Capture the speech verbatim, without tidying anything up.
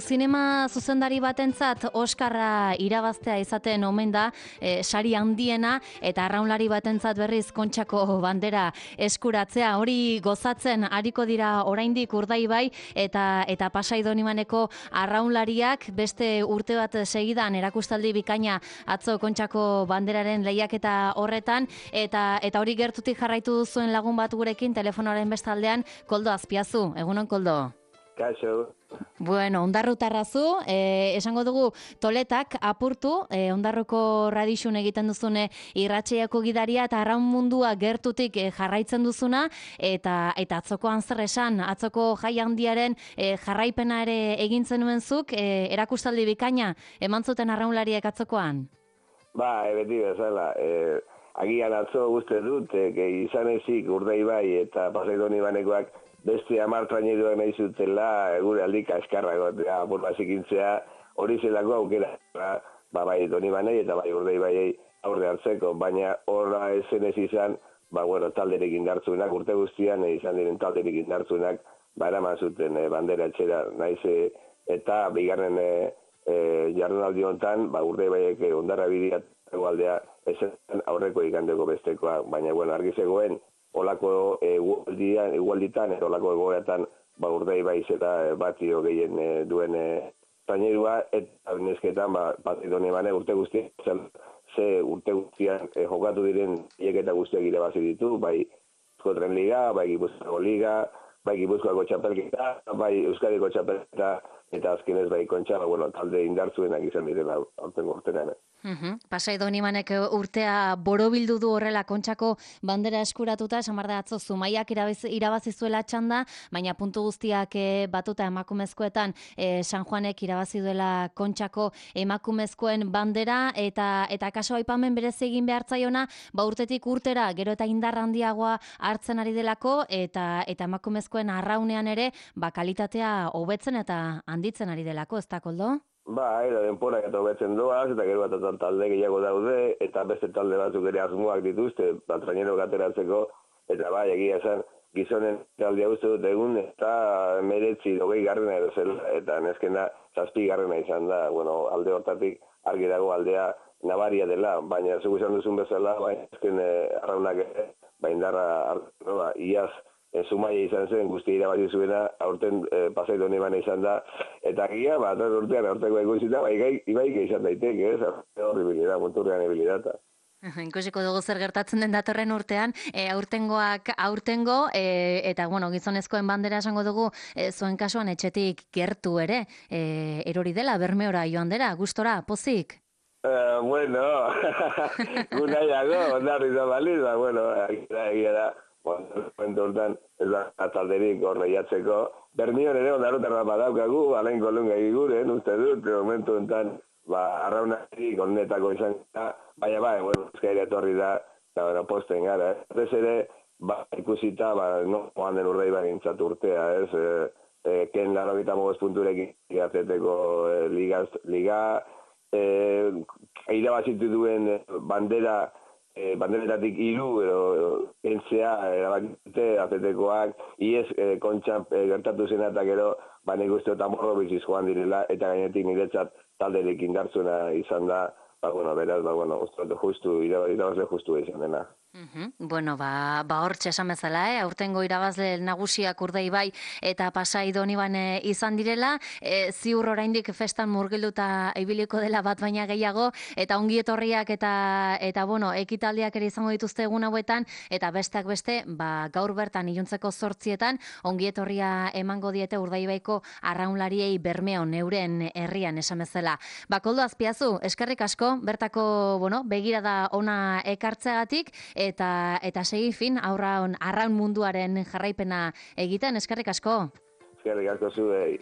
Zinema zuzendari batentzat Oskarra irabaztea izaten omen da, e, sari handiena, eta arraunlari batentzat berriz Kontxako bandera eskuratzea. Hori gozatzen ariko dira oraindik Urdaibai eta eta Pasai Donibaneko arraunlariak beste urte bat segidan erakustaldi bikaina atzo Kontxako banderaren lehiaketa horretan, eta eta hori gertutik jarraitu duzuen lagun bat gurekin telefonoaren bestaldean, Koldo Azpiazu. Egunon, Koldo? Kaixo. Bueno, ondarrutarrazu, eh, esango dugu toletak apurtu, eh, ondarruko radixun egiten duzune irratxeiako gidaria eta arraun mundua gertutik eh, jarraitzen duzuna, eta eta atzokoan zer esan, atzoko jai handiaren eh, jarraipena ere egin zenuen-zuk, eh, erakustaldi bikaina eman zuten arraunlariek atzokoan? Ba, e, beti bezala, e, agian atzo guzti dut, e, izan ezik Urdaibai eta Pasai Donibanekoak beste hamar traineruak nahi zutela, gure aldika eskarrago, apur bazikintzea, hori zelako aukera, ba, bai Donibanei eta bai Urdaibaiei aurre hartzeko, baina horra esen ez izan, ba, bueno, talderik indartzuenak, urte guztian e, izan diren talderik indartzuenak, ba, eraman zuten e, bandera etxera, naiz, e, eta bigarren e, e, jardunaldi honetan, ba, Urdaibaiek e, ondarra bidia egualdea esen aurreko ikandeko bestekoa, baina, bueno, argi zegoen, olako egualdian, egualditan, eta olako egoeatan, ba, Urdaibaiz eta batio gehien e, duen e, trainerua, eta nesketan, ba, Pasai Donibane urte guztian, ze urte guztian e, jokatu diren hieketa guztiak irabazi ditu, bai Euskotren Liga, bai Gipuzkoako Liga, bai Gipuzkoako txapelketa, bai Euskadiko txapelketa, eta azkenez bai Kontxa, ba, bueno, talde indartzuenak izan direla aurtengo urtean. Uhum. Pasai Donibanek urtea borobildu du horrela Kontxako bandera eskuratuta, esan behar da atzo Zumaiak irabazi zuela txanda, baina puntu guztiak e, batuta emakumezkoetan e, San Juanek irabazi duela Kontxako emakumezkoen bandera, eta eta kaso aipamen berezi egin behartzaiona, ba urtetik urtera gero eta indar handiagoa hartzen ari delako, eta eta emakumezkoen arraunean ere ba kalitatea hobetzen eta handitzen ari delako, ez da, Koldo? Ba, era denporak eta hobetzen doaz, eta gero bat talde gehiago daude, eta beste talde batzuk ere asmoak dituzte, bat trainero ateratzeko, eta bai, egia esan, gizonen taldea uste dut egun, eta meretzi dogei garrena edo zela, eta neskena zazpi garrena izan da, bueno, alde hortatik argi dago aldea nabaria dela, baina zugu izan duzun bezala, baina esken eh, arraunak ere, baina indarra, no, ba, iaz, E, Zumaia izan zen, guzti irabazi zuena, aurten e, Pasai Donibane izan da, eta gia, bat urtean aurteko eguzita, bai ibaik izan daiteke, ez? Horribilidad, monturrean ebilidata. Ikusiko dugu zer gertatzen den datorren urtean, e, aurtengoak aurtengo, e, eta bueno, gizonezkoen bandera esango dugu, e, zuen kasuan etxetik gertu ere, e, erori dela, Bermeora joan dela, gustora, pozik? Uh, bueno, gunaiago, ondarri da baliz, ba, bueno, egia da, momentu hortan, ez da atalderik horreiatzeko. Bermion ere ondarutan bat badaukagu, alain kolunga eguren, uste dut, momentu honetan, ba, arraunarik onetako izan da, baina bai, bueno, ezkaira etorri da, eta bueno, posten gara, ez ere, ba, ikusita, ba, no, joan den Urdaibai gintzat urtea, ez, e, e, ken laro gita mogez punturekin gazeteko e, liga, liga e, irabazitu duen bandera, E, banderetatik hiru edo entzea erabakite atetekoak iez e, Kontxan e, gertatu zen eta gero ba nik uste eta morro biziz joan direla eta gainetik niretzat talderik indartzuna izan da, ba bueno, beraz, ba bueno, uste justu, irabazle justu izan dena. Uhum. Bueno, ba, ba hortxe esan bezala, eh? Aurtengo irabazle nagusiak Urdaibai eta Pasai Donibane izan direla, e, ziur oraindik festan murgilduta ibiliko dela bat baina gehiago, eta ongi etorriak eta, eta bueno, ekitaldiak ere izango dituzte egun hauetan, eta besteak beste, ba, gaur bertan iluntzeko zortzietan, ongi etorria emango diete Urdaibaiko arraunlariei Bermeon, euren herrian esan bezala. Ba, Koldo Azpiazu, eskerrik asko, bertako, bueno, begirada ona ekartzeagatik, eta eta segi fin aurraun arraun munduaren jarraipena egiten, eskerrik asko. Eskerrik asko zuei.